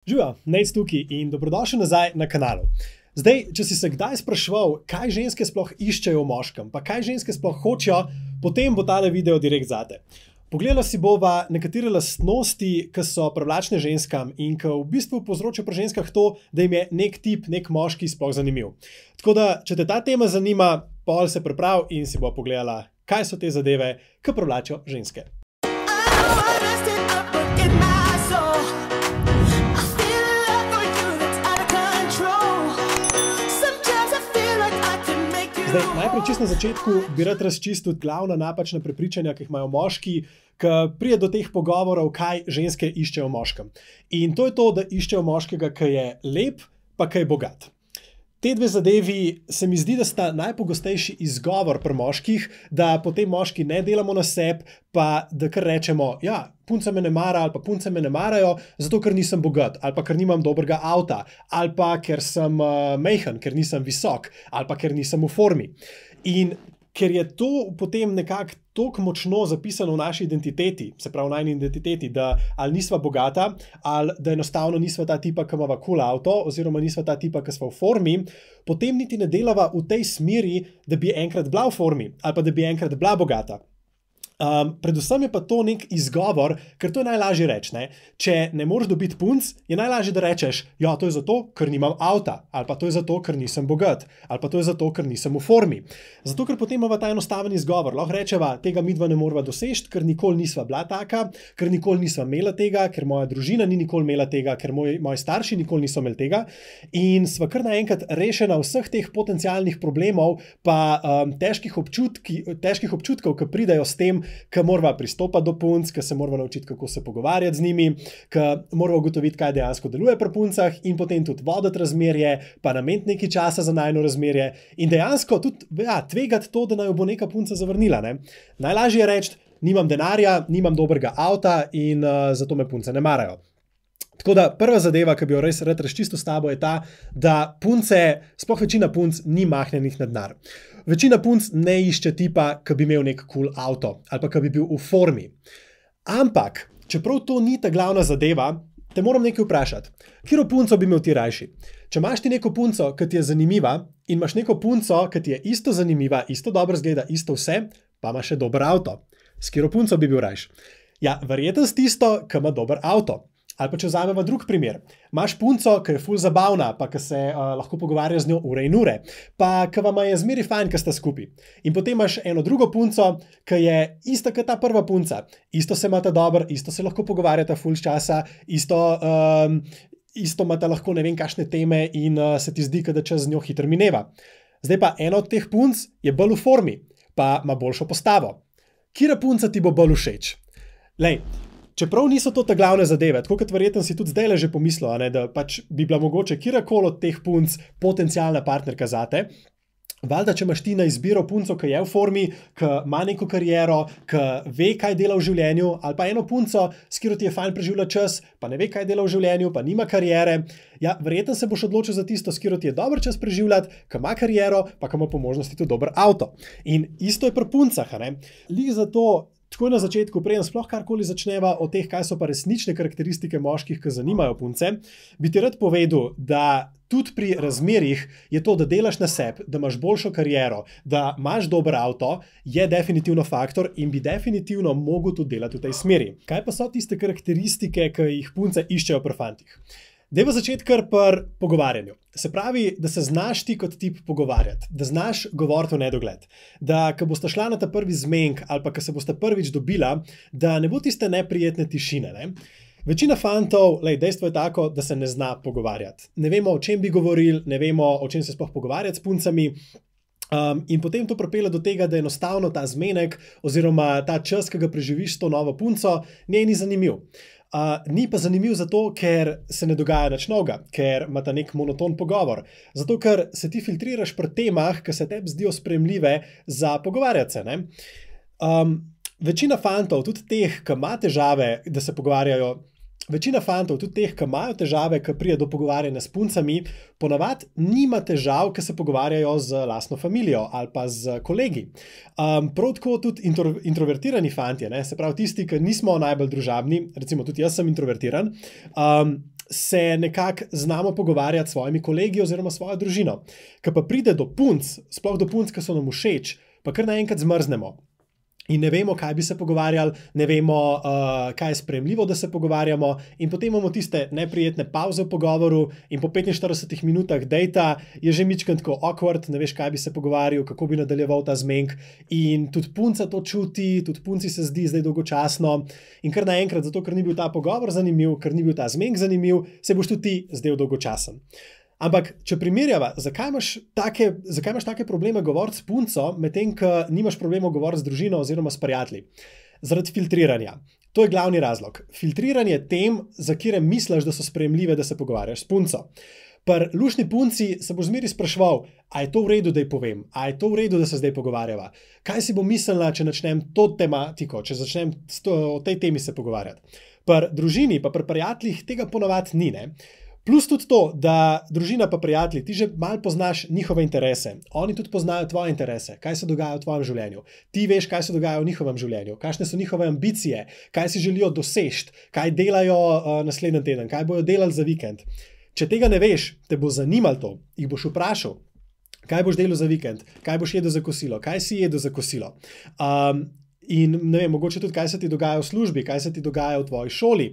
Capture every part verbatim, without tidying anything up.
Živijo, Nejc tukaj in dobrodošli nazaj na kanalu. Zdaj, če si se kdaj spraševal, kaj ženske sploh iščejo v moškem, pa kaj ženske sploh hočejo, potem bo tale video direkt zate. Pogledala si bova nekatere lastnosti, ki so privlačne ženskam in ki v bistvu povzročajo pri ženskah to, da jim je nek tip, nek moški sploh zanimiv. Tako da, če te ta tema zanima, pol se priprav in si bo pogledala, kaj so te zadeve, ki privlačijo ženske. Zdaj, najprej čisto na začetku bi rad razčistil glavna napačna prepričanja, ki jih imajo moški, ki pride do teh pogovorov, kaj ženske iščejo v moškem. In to je to, da iščejo moškega, ki je lep, pa ki je bogat. Te dve zadevi se mi zdi, da sta najpogostejši izgovor pri moških, da potem moški ne delamo na sebi, pa da kar rečemo, ja, punca me ne mara ali pa punce me ne marajo, zato ker nisem bogat, ali pa ker nimam dobrega avta, ali pa ker sem uh, majhen, ker nisem visok, ali pa ker nisem v formi. In ker je to potem nekako toliko močno zapisano v naši identiteti, se pravi v najni identiteti, da ali nisva bogata, ali da enostavno nisva ta tipa, ki imava cool avto, oziroma nisva ta tipa, ki sva v formi, potem niti ne delava v tej smeri, da bi enkrat bila v formi, ali pa da bi enkrat bila bogata. Um, predvsem je pa to nek izgovor, ker to je najlažje reči, ne? Če ne moreš dobiti punc, je najlažje, da rečeš, ja, to je zato, ker nimam avta, ali pa to je zato, ker nisem bogat, ali pa to je zato, ker nisem v formi. Zato, ker potem imava ta enostaven izgovor. Lahko rečeva, tega midva ne morava doseči, ker nikoli nisva bila taka, ker nikoli nisva imela tega, ker moja družina ni nikoli imela tega, ker moj, moji starši nikoli niso imeli tega. In sva kar naenkrat rešena vseh teh potencialnih problemov, pa um, težkih, občutki, težkih občutkov, ki pridejo s tem, ki morava pristopati do punc, ki se morava naučiti, kako se pogovarjati z njimi, ki morava ugotoviti, kaj dejansko deluje pri puncah in potem tudi voditi razmerje, pa nameniti nekaj časa za najino razmerje in dejansko tudi ja, tvegati to, da naj bo neka punca zavrnila. Ne? Najlažje je reči, nimam denarja, nimam dobrega avta in uh, zato me punce ne marajo. Tako da prva zadeva, ki bi jo res rad razčistil s tabo, je ta, da punce, sploh večina punc ni mahnjenih na denar. Večina punc ne išče tipa, ki bi imel nek cool avto ali pa ki bi bil v formi. Ampak, čeprav to ni ta glavna zadeva, te moram nekaj vprašati. Katero punco bi imel ti rajši? Če imaš ti neko punco, ki ti je zanimiva in imaš neko punco, ki ti je isto zanimiva, isto dobro zgleda, isto vse, pa ima še dober avto. S katero punco bi bil rajši? Ja, verjetno s tisto, ki ima dober avto. Ali pa če vzameva drug primer. Imaš punco, ki je ful zabavna, pa ki se uh, lahko pogovarja z njo ure in ure, pa ki vama je zmeri fajn, ki sta skupaj. In potem imaš eno drugo punco, ki je ista kot ta prva punca. Isto se imata dobro, isto se lahko pogovarjata ful časa, isto, um, isto imata lahko ne vem kakšne teme in uh, se ti zdi, da čas z njo hitro mineva. Zdaj pa ena od teh punc je bolj v formi, pa ima boljšo postavo. Katera punca ti bo bolj všeč? Lej, čeprav niso to ta glavne zadeve, tako kot verjetno si tudi zdajle že pomislil, ne, da pač bi bila mogoče kjerkoli od teh punc potencialna partnerka zate, valjda, če imaš ti na izbiro punco, ki je v formi, ki ima neko kariero, ki ve, kaj dela v življenju, ali pa eno punco, s katero ti je fajn preživljati čas, pa ne ve, kaj dela v življenju, pa nima kariere, ja, verjetno se boš odločil za tisto, s katero ti je dober čas preživljati, ki ima kariero, pa ki ima po možnosti tudi dober avto. In isto je pri puncah, ne? Lih zato takoj na začetku, preden sploh karkoli začneva o teh, kaj so pa resnične karakteristike moških, ki zanimajo punce, bi ti rad povedal, da tudi pri razmerjih je to, da delaš na sebi, da imaš boljšo kariero, da imaš dober avto, je definitivno faktor in bi definitivno mogel tudi delati v tej smeri. Kaj pa so tiste karakteristike, ki jih punce iščejo pri fantih? Dajva začeti kar pri pogovarjanju. Se pravi, da se znaš ti kot tip pogovarjati, da znaš govoriti v nedogled, da ko boste šla na ta prvi zmenk ali pa ko se boste prvič dobila, da ne bo tiste neprijetne tišine. Ne? Večina fantov, lej, dejstvo je tako, da se ne zna pogovarjati. Ne vemo, o čem bi govorili, ne vemo, o čem se sploh pogovarjati s puncami. Um, in potem to pripelje do tega, da enostavno ta zmenek oziroma ta čas, ki ga preživiš s to novo punco, njej ni zanimiv. Uh, ni pa zanimiv zato, ker se ne dogaja nič novega, ker imata nek monoton pogovor. Zato, ker se ti filtriraš pri temah, ki se tebi zdijo sprejemljive za pogovarjati se. Ne? Um, večina fantov, tudi teh, ki ima težave, da se pogovarjajo, Večina fantov, tudi teh, ki imajo težave, ki pride do pogovarjanja s puncami, ponavadi nima težav, ki se pogovarjajo z lastno familijo ali pa z kolegi. Um, prav tako tudi intro, introvertirani fantje, ne? Se pravi tisti, ki nismo najbolj družabni, recimo tudi jaz sem introvertiran, um, se nekako znamo pogovarjati s svojimi kolegi oziroma svojo družino. Ko pa pride do punc, sploh do punc, ki so nam všeč, pa kar naenkrat zmrznemo. In ne vemo, kaj bi se pogovarjali, ne vemo, uh, kaj je sprejemljivo, da se pogovarjamo, in potem imamo tiste neprijetne pavze v pogovoru, in po petinštiridesetih minutah dejta je že mičken tako awkward, ne veš, kaj bi se pogovarjal, kako bi nadaljeval ta zmenk. In tudi punca to čuti, tudi punci se zdi zdaj dolgočasno, in kar naenkrat, zato ker ni bil ta pogovor zanimiv, ker ni bil ta zmenk zanimiv, se boš tudi ti zdel dolgočasen. Ampak, če primerjava, zakaj imaš take, zakaj imaš take probleme govoriti s punco, medtem ko nimaš problemov govoriti z družino oziroma s prijatelji? Zaradi filtriranja. To je glavni razlog. Filtriranje tem, za katere misliš, da so sprejemljive, da se pogovarjaš s punco. Pri luštni punci se boš zmeri spraševal, a je to v redu, da ji povem, a je to v redu, da se zdaj pogovarjava. Kaj si bo mislila, če začnem to tematiko, če začnem o tej temi se pogovarjati. Pri družini, pa pri prijateljih tega ponavadi ni, ne? Plus tudi to, da družina pa prijatelji, ti že malo poznaš njihove interese, oni tudi poznajo tvoje interese, kaj se dogaja v tvojem življenju. Ti veš, kaj se dogaja v njihovem življenju, kakšne so njihove ambicije, kaj si želijo doseči, kaj delajo uh, naslednji teden, kaj bojo delali za vikend. Če tega ne veš, te bo zanimalo to, jih boš vprašal, kaj boš delal za vikend, kaj boš jedel za kosilo, kaj si jedel za kosilo. Um, In ne vem, mogoče tudi, kaj se ti dogaja v službi, kaj se ti dogaja v tvoji šoli.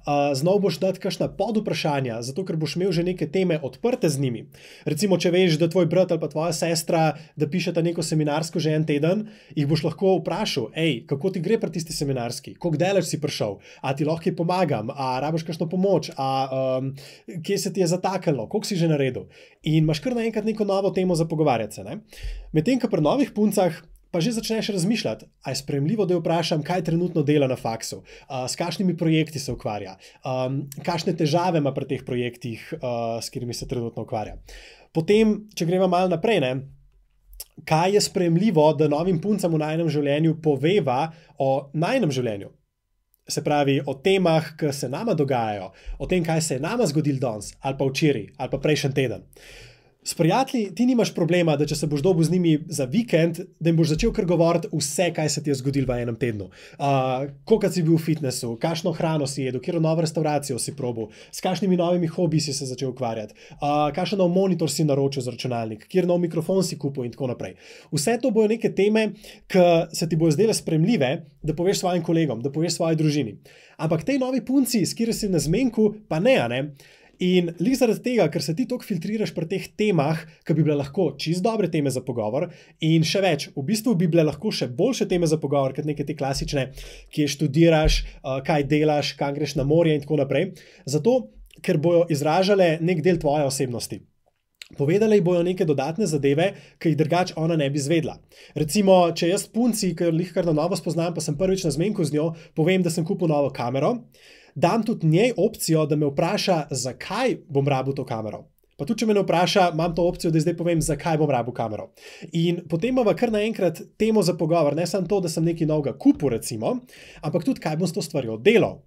Uh, znov boš dati kakšna podvprašanja, zato ker boš imel že neke teme odprte z njimi. Recimo, če veš, da tvoj brat ali pa tvoja sestra, da pišeta neko seminarsko že en teden, jih boš lahko vprašal, ej, kako ti gre pri tisti seminarski, koliko daleč si prišel, a ti lahko pomagam, a rabiš kakšno pomoč, a um, kje se ti je zataknilo, koliko si že naredil. In imaš kar naenkrat neko novo temo za pogovarjati se, ne? Medtem, ko pri novih puncah pa že začneš razmišljati, a je sprejemljivo, da jo vprašam, kaj trenutno dela na faksu, uh, s kakšnimi projekti se ukvarja, um, kakšne težave ima pri teh projektih, uh, s katerimi se trenutno ukvarja. Potem, če gremo malo naprej, ne, kaj je sprejemljivo, da novim puncam v najinem življenju poveva o najinem življenju. Se pravi, o temah, ki se nama dogajajo, o tem, kaj se je nama zgodil danes, ali pa včeraj, ali pa prejšnji teden. S prijatelji ti nimaš problema, da če se boš dobil z njimi za vikend, da jim boš začel kar govoriti vse, kaj se ti je zgodilo v enem tednu. Uh, koliko si bil v fitnessu, kakšno hrano si jedel, katero novo restauracijo si probil, s kakšnimi novimi hobiji si se začel ukvarjati, uh, kakšen nov monitor si naročil za računalnik, kjer nov mikrofon si kupil in tako naprej. Vse to bojo neke teme, ki se ti bojo zdele sprejemljive, da poveš svojim kolegom, da poveš svoji družini. Ampak tej novi punci, s katero si na zmenku, pa ne, a ne? In lih zaradi tega, ker se ti toliko filtriraš pri teh temah, ki bi bile lahko čist dobre teme za pogovor, in še več, v bistvu bi bile lahko še boljše teme za pogovor, kot neke te klasične, kje študiraš, kaj delaš, kam greš na morje in tako naprej, zato, ker bojo izražale nek del tvoje osebnosti. Povedali bojo neke dodatne zadeve, ki jih drugače ona ne bi zvedla. Recimo, če jaz punci, ker lih kar na novo spoznam, pa sem prvič na zmenku z njo, povem, da sem kupil novo kamero, dam tudi njej opcijo, da me vpraša, zakaj bom rabil to kamero. Pa tudi, če me ne vpraša, imam to opcijo, da zdaj povem, zakaj bom rabil kamero. In potem imamo kar naenkrat temo za pogovor, ne samo to, da sem nekaj novega kupil, recimo, ampak tudi, kaj bom s to stvarjo delal.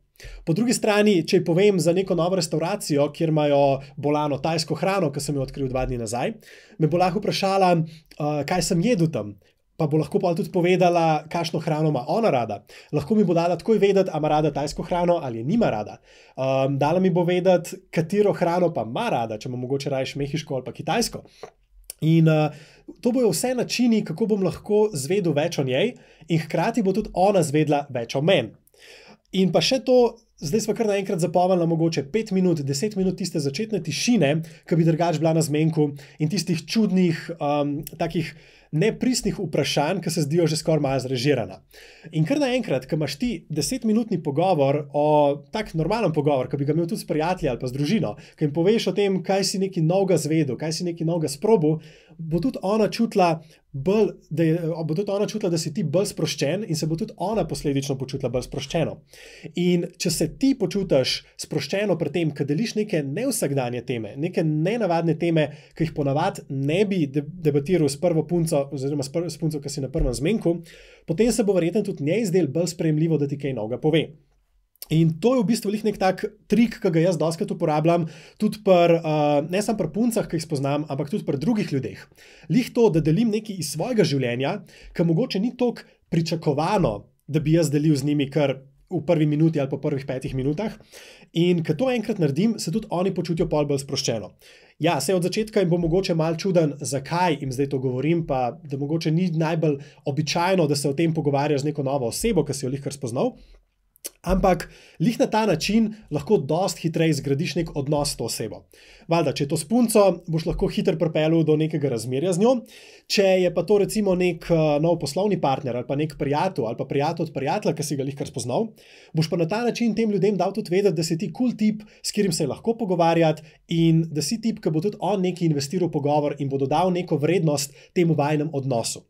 Po drugi strani, če ji povem za neko novo restauracijo, kjer imajo bolano tajsko hrano, ki sem jo odkril dva dni nazaj, me bo lahko vprašala, uh, kaj sem jedel tam. Pa bo lahko pa tudi povedala, kakšno hrano ima ona rada. Lahko mi bo dala takoj vedeti, a ima rada tajsko hrano ali nima rada. Um, dala mi bo vedeti, katero hrano pa ima rada, če ima mogoče rajš mehiško ali pa kitajsko. In uh, to bojo vse načini, kako bom lahko zvedel več o njej in hkrati bo tudi ona zvedla več o meni. In pa še to, zdaj smo kar naenkrat zapomnili mogoče pet minut, deset minut tiste začetne tišine, ki bi drugače bila na zmenku, in tistih čudnih, um, takih nepristnih vprašanj, ki se zdijo že skoraj malo zrežirana. In kar naenkrat, ko imaš ti desetminutni pogovor, o tak normalen pogovor, ki bi ga imel tudi s prijatelji ali pa z družino, ki jim poveš o tem, kaj si nekaj novega zvedel, kaj si nekaj novega sprobil, bo tudi ona čutila, bolj, da je, bo tudi ona čutila, da si ti bolj sproščen in se bo tudi ona posledično počutila bolj sproščeno. In če se ti počutiš sproščeno pri tem, ko deliš neke nevsakdanje teme, neke nenavadne teme, ki jih ponavadi ne bi debatiral s prvo punco oziroma s, prvo, s punco, ki si na prvem zmenku, potem se bo verjetno tudi njej zdel bolj sprejemljivo, da ti kaj novega pove. In to je v bistvu nek tak trik, ki ga jaz dostikrat uporabljam, tudi pri, uh, ne samo pri puncah, ki jih spoznam, ampak tudi pri drugih ljudeh. Lih to, da delim nekaj iz svojega življenja, ki mogoče ni toliko pričakovano, da bi jaz delil z njimi, ker v prvi minuti ali po prvih petih minutah. In ko to enkrat naredim, se tudi oni počutijo pol bolj sproščeno. Ja, se od začetka jim bo mogoče malo čuden, zakaj jim zdaj to govorim, pa da mogoče ni najbolj običajno, da se o tem pogovarjaš z neko novo osebo, ki si jo lihkar spoznal. Ampak lih na ta način lahko dost hitreje zgradiš nek odnos s to osebo. Valjda, če je to s punco, boš lahko hitro pripeljal do nekega razmerja z njo. Če je pa to recimo nek uh, nov poslovni partner ali pa nek prijatelj ali pa prijatelj od prijatelja, ki si ga lihkar spoznal, boš pa na ta način tem ljudem dal tudi vedeti, da si ti cool tip, s katerim se je lahko pogovarjati in da si tip, ki bo tudi on nekaj investiral v pogovor in bo dodal neko vrednost temu vajinem odnosu.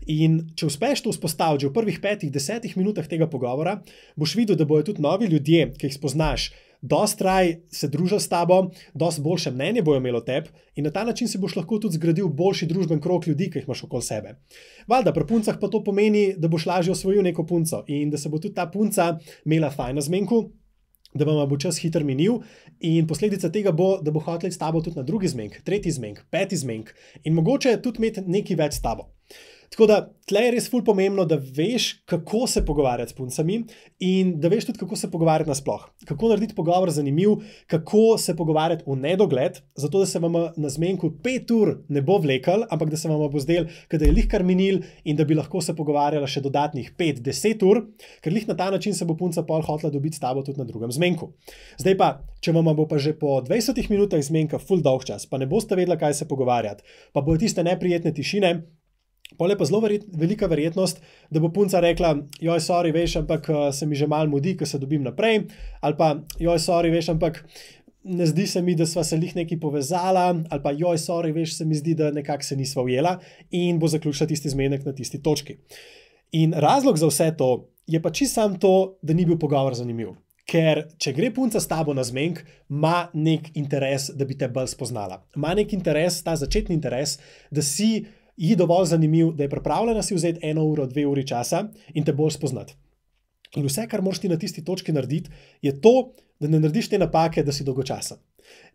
In če uspeš to vzpostaviti že v prvih petih, desetih minutah tega pogovora, boš videl, da bojo tudi novi ljudje, ki jih spoznaš, dost raj se družijo s tabo, dost boljše mnenje bojo imeli o tebi in na ta način si boš lahko tudi zgradil boljši družben krog ljudi, ki jih imaš okoli sebe. Valjda, pri puncah pa to pomeni, da boš lažje osvojil neko punco in da se bo tudi ta punca imela fajn na zmenku, da vam bo čas hitro minil in posledica tega bo, da bo hotela s tabo tudi na drugi zmenk, tretji zmenk, peti zmenk in mogoče tudi imeti nekaj več s tabo. Tako da, tle je res ful pomembno, da veš, kako se pogovarjati s puncami in da veš tudi, kako se pogovarjati nasploh. Kako narediti pogovor zanimiv, kako se pogovarjati v nedogled, zato da se vam na zmenku pet ur ne bo vlekel, ampak da se vam bo zdel, da je lihkar minil in da bi lahko se pogovarjala še dodatnih pet do deset ur, ker lih na ta način se bo punca pol hotela dobiti s tabo tudi na drugem zmenku. Zdaj pa, če vam bo pa že po dvajsetih minutah zmenka ful dolg čas, pa ne boste vedela, kaj se pogovarjati, pa bojo tiste neprijetne tišine, pol je pa zelo verjet, velika verjetnost, da bo punca rekla, joj, sorry, veš, ampak se mi že malo mudi, ko se dobim naprej, ali pa, joj, sorry, veš, ampak ne zdi se mi, da sva se lih nekaj povezala, ali pa, joj, sorry, veš, se mi zdi, da nekako se nisva ujela in bo zaključila tisti zmenek na tisti točki. In razlog za vse to je pa čisto sam to, da ni bil pogovor zanimiv. Ker če gre punca s tabo na zmenk, ima nek interes, da bi te bolj spoznala. Ima nek interes, ta začetni interes, da si ji dovolj zanimiv, da je pripravljena si vzeti eno uro, dve uri časa in te bolj spoznati. In vse, kar moraš ti na tisti točki narediti, je to, da ne narediš te napake, da si dolgočasen.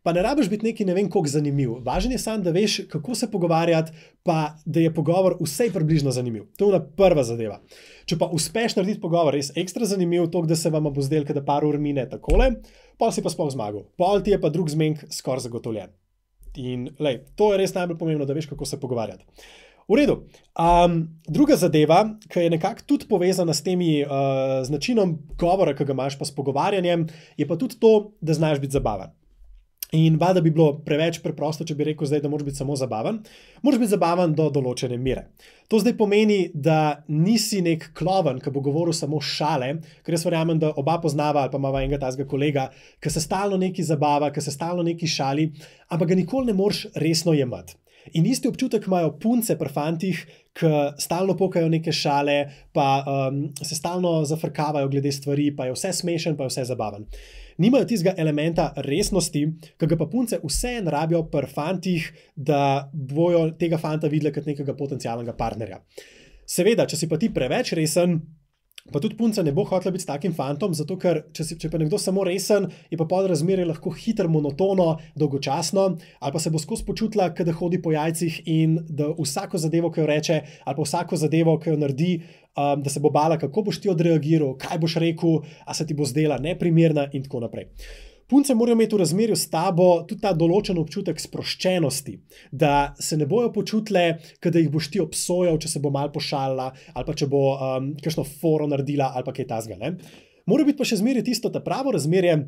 Pa ne rabiš biti neki ne vem koliko zanimiv. Važen je samo, da veš, kako se pogovarjati, pa da je pogovor vsej približno zanimiv. To je ona prva zadeva. Če pa uspeš narediti pogovor res ekstra zanimiv, toliko, da se vam bo zdel, da par ur mine takole, pol si pa sploh zmagal. Pol ti je pa drug zmenk skoraj zagotovljen. In lej, to je res najbolj pomembno, da veš, kako se pogovarjati. V redu. Um, druga zadeva, ki je nekako tudi povezana s temi uh, z načinom govora, ki ga imaš pa s pogovarjanjem, je pa tudi to, da znaš biti zabaven. In valjda bi bilo preveč preprosto, če bi rekel zdaj, da moraš biti samo zabaven. Moraš biti zabaven do določene mere. To zdaj pomeni, da nisi nek kloven, ki bo govoril samo šale, ker jaz verjamem, da oba poznava ali pa imava enega tazga kolega, ki se stalno neki zabava, ki se stalno neki šali, ampak ga nikoli ne moreš resno jemati. In isti občutek imajo punce pri fantih, ki stalno pokajo neke šale, pa um, se stalno zafrkavajo glede stvari, pa je vse smešen, pa je vse zabaven. Nimajo tistega elementa resnosti, ki ga pa punce vseeno rabijo pri fantih, da bojo tega fanta videli kot nekega potencialnega partnerja. Seveda, če si pa ti preveč resen, pa tudi punca ne bo hotela biti s takim fantom, zato ker če, si, če pa nekdo samo resen, je pa pod razmerje lahko hitro, monotono, dolgočasno, ali pa se bo skozi počutila, da hodi po jajcih in da vsako zadevo, ki jo reče, ali pa vsako zadevo, ki jo naredi, um, da se bo bala, kako boš ti odreagiral, kaj boš rekel, a se ti bo zdela neprimerna in tako naprej. Punce morajo imeti v razmerju s tabo tudi ta določen občutek sproščenosti, da se ne bojo počutile, da jih boš ti obsojal, če se bo malo pošalila ali pa če bo um, kakšno foro naredila ali pa kaj tasga. Ne? Mora biti pa še zmeraj tisto ta pravo razmerje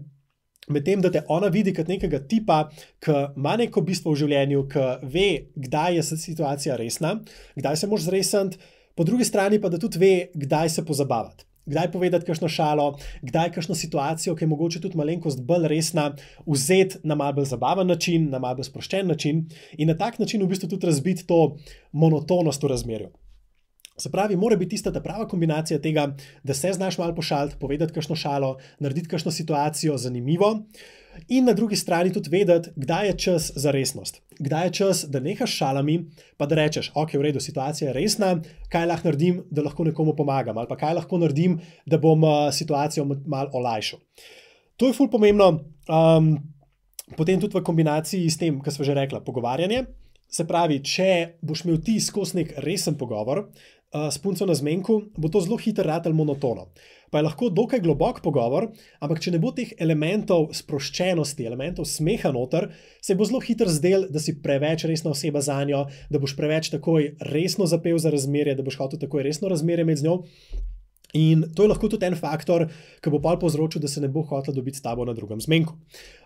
med tem, da te ona vidi kot nekega tipa, ki ima neko bistvo v življenju, ki ve, kdaj je situacija resna, kdaj se moraš zresniti, po drugi strani pa da tudi ve, kdaj se pozabavati. Kdaj povedati kakšno šalo, kdaj kakšno situacijo, ki je mogoče tudi malenkost bolj resna, vzeti na malo bolj zabaven način, na malo bolj sproščen način in na tak način v bistvu tudi razbiti to monotonost v razmerju. Se pravi, mora biti tista ta prava kombinacija tega, da se znaš malo pošaliti, povedati kakšno šalo, narediti kakšno situacijo zanimivo in na drugi strani tudi vedeti, kdaj je čas za resnost. Kdaj je čas, da nehaš šalami, pa da rečeš, ok, v redu, situacija je resna, kaj lahko naredim, da lahko nekomu pomagam, ali pa kaj lahko naredim, da bom situacijo malo olajšal. To je ful pomembno, um, potem tudi v kombinaciji s tem, kar sva že rekla, pogovarjanje Se pravi, če boš imel ti skozi nek resen pogovor uh, s punco na zmenku, bo to zelo hitro ratal monotono. Pa je lahko dokaj globok pogovor, ampak če ne bo teh elementov sproščenosti, elementov smeha noter, se bo zelo hitro zdel, da si preveč resna oseba za njo, da boš preveč takoj resno zapel za razmerje, da boš hotel takoj resno razmerje med z njo. In to je lahko tudi en faktor, ki bo pol povzročil, da se ne bo hotel dobiti s tabo na drugem zmenku.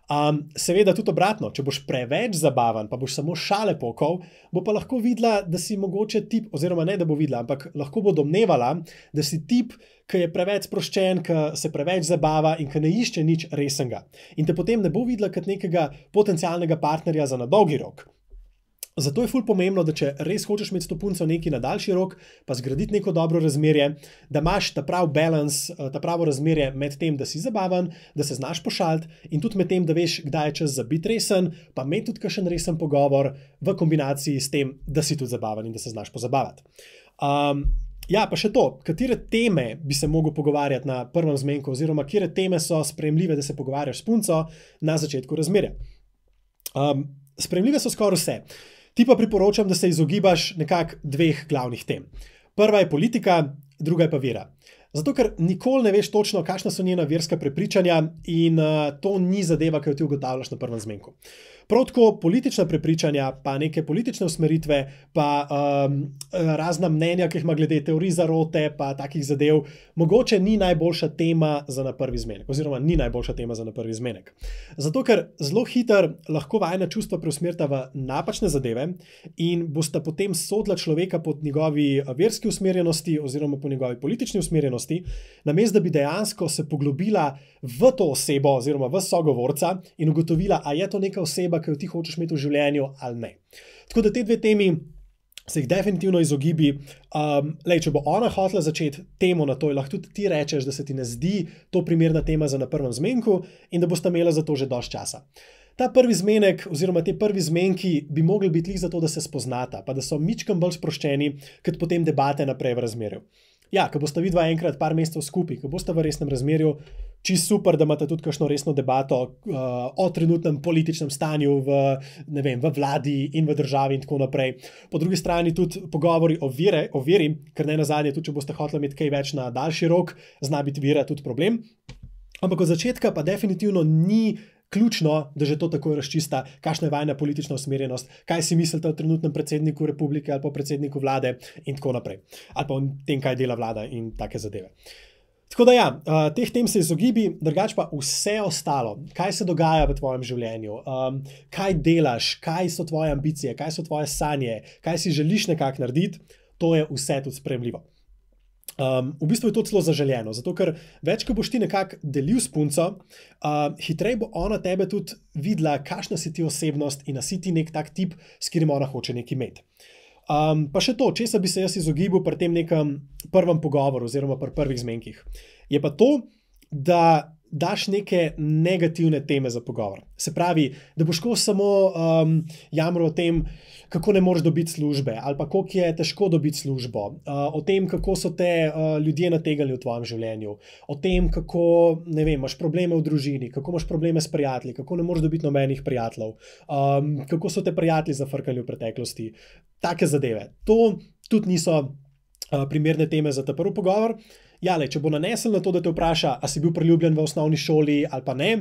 Um, seveda tudi obratno, če boš preveč zabaven, pa boš samo šale pokal, bo pa lahko videla, da si mogoče tip, oziroma ne, da bo videla, ampak lahko bo domnevala, da si tip, ki je preveč sproščen, ki se preveč zabava in ki ne išče nič resnega. In te potem ne bo videla kot nekega potencialnega partnerja za na dolgi rok. Zato je ful pomembno, da če res hočeš imeti s to punco nekaj na daljši rok, pa zgraditi neko dobro razmerje, da imaš ta prav balans, ta pravo razmerje med tem, da si zabaven, da se znaš pošaliti in tudi med tem, da veš, kdaj je čas za biti resen, pa imeti tudi kakšen resen pogovor v kombinaciji s tem, da si tudi zabaven in da se znaš pozabavati. Um, ja, pa še to, katere teme bi se mogel pogovarjati na prvem zmenku oziroma katere teme so sprejemljive, da se pogovarjaš s punco na začetku razmerja. Um, sprejemljive so skoraj vse. Ti pa priporočam, da se izogibaš nekako dveh glavnih tem. Prva je politika, druga je pa vera. Zato, ker nikoli ne veš točno, kakšna so njena verska prepričanja in uh, to ni zadeva, ki jo ti ugotavljaš na prvem zmenku. Prav tako politična prepričanja, pa neke politične usmeritve, pa um, razna mnenja, ki jih ima glede teorij zarote, pa takih zadev, mogoče ni najboljša tema za na prvi zmenek, oziroma ni najboljša tema za na prvi zmenek. Zato, ker zelo hitro lahko vajina čustva preusmerita v napačne zadeve in bosta potem sodila človeka po njegovi verski usmerjenosti oziroma po njegovi politični usmerjenosti, namesto da bi dejansko se poglobila v to osebo oziroma v sogovorca in ugotovila, a je to neka oseba, ki jo ti hočeš imeti v življenju ali ne. Tako da te dve temi se jih definitivno izogibi. Um, lej, če bo ona hotela začeti temo na to, lahko tudi ti rečeš, da se ti ne zdi to primerna tema za na prvem zmenku in da bosta imela za to že dosti časa. Ta prvi zmenek oziroma te prvi zmenki bi mogli biti lih za to, da se spoznata, pa da so mičkam bolj sproščeni, kot potem debate naprej v razmerju. Ja, ko bosta vidva enkrat par mesecev skupaj, ko bosta v resnem razmerju, čisto super, da imate tudi kakšno resno debato uh, o trenutnem političnem stanju v, ne vem, v vladi in v državi in tako naprej. Po drugi strani tudi pogovori o, vire, o veri, ker ne nazadnje, tudi če boste hoteli imeti kaj več na daljši rok, zna biti vera tudi problem. Ampak od začetka pa definitivno ni ključno, da že to takoj razčista, kakšna je vajna politična usmerjenost, kaj si mislite o trenutnem predsedniku republike ali pa predsedniku vlade in tako naprej. Ali pa o tem, kaj dela vlada in take zadeve. Tako da ja, teh tem se izogibi, drugače pa vse ostalo, kaj se dogaja v tvojem življenju, um, kaj delaš, kaj so tvoje ambicije, kaj so tvoje sanje, kaj si želiš nekako narediti, to je vse tudi sprejemljivo. Um, v bistvu je to celo zaželjeno, zato ker več, ko boš ti nekako delil s punco, uh, hitreje bo ona tebe tudi videla, kakšna si ti osebnost in da si ti nek tak tip, s katerim ona hoče nekaj imeti. Um, pa še to, česa bi se jaz izogibal pri tem nekem prvem pogovoru oziroma pri prvih zmenkih, je pa to, da daš neke negativne teme za pogovor. Se pravi, da boš ko samo um, jamral o tem, kako ne moreš dobiti službe, ali pa koliko je težko dobiti službo, uh, o tem, kako so te uh, ljudje nategali v tvojem življenju, o tem, kako, ne vem, imaš probleme v družini, kako imaš probleme s prijatelji, kako ne moreš dobiti nobenih prijateljev, um, kako so te prijatelji zafrkali v preteklosti. Take zadeve. To tudi niso uh, primerne teme za ta prvi pogovor. Ja, le, če bo nanesel na to, da te vpraša, a si bil priljubljen v osnovni šoli ali pa ne,